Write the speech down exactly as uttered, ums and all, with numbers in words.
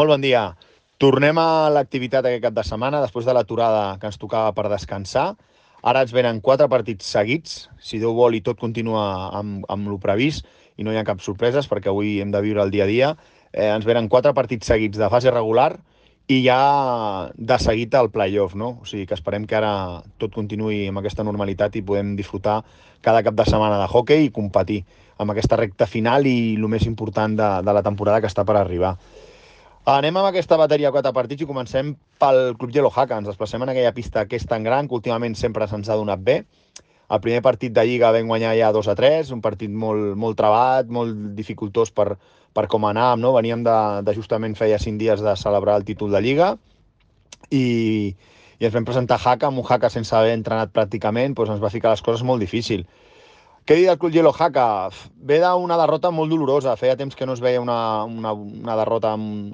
Molt bon dia. Tornem a l'activitat aquest cap de setmana, després de l'aturada que ens tocava per descansar. Ara ens venen quatre partits seguits, si Déu vol i tot continua amb, amb lo previst i no hi ha cap sorpreses perquè avui hem de viure el dia a dia. Eh, ens venen quatre partits seguits de fase regular i ja de seguit al playoff, no? O sigui que esperem que ara tot continuï amb aquesta normalitat i podem disfrutar cada cap de setmana de hoquei i competir amb aquesta recta final i el més important de, de la temporada que està per arribar. Anem amb aquesta bateria de quatre partits i comencem pel Club Yellow Haka. Ens desplacem en aquella pista que és tan gran que últimament sempre se'ns ha donat bé. El primer partit de Lliga vam guanyar ja dos a tres, un partit molt, molt trebat, molt dificultós per, per com anàvem, no? Veníem de, de justament feia cinc dies de celebrar el títol de Lliga i, i ens vam presentar a Haka, amb un Haka sense haver entrenat pràcticament, doncs ens va ficar les coses molt difícil. Què dir del Club Yellow Haka? Ve d'una derrota molt dolorosa. Feia temps que no es veia una, una, una derrota amb,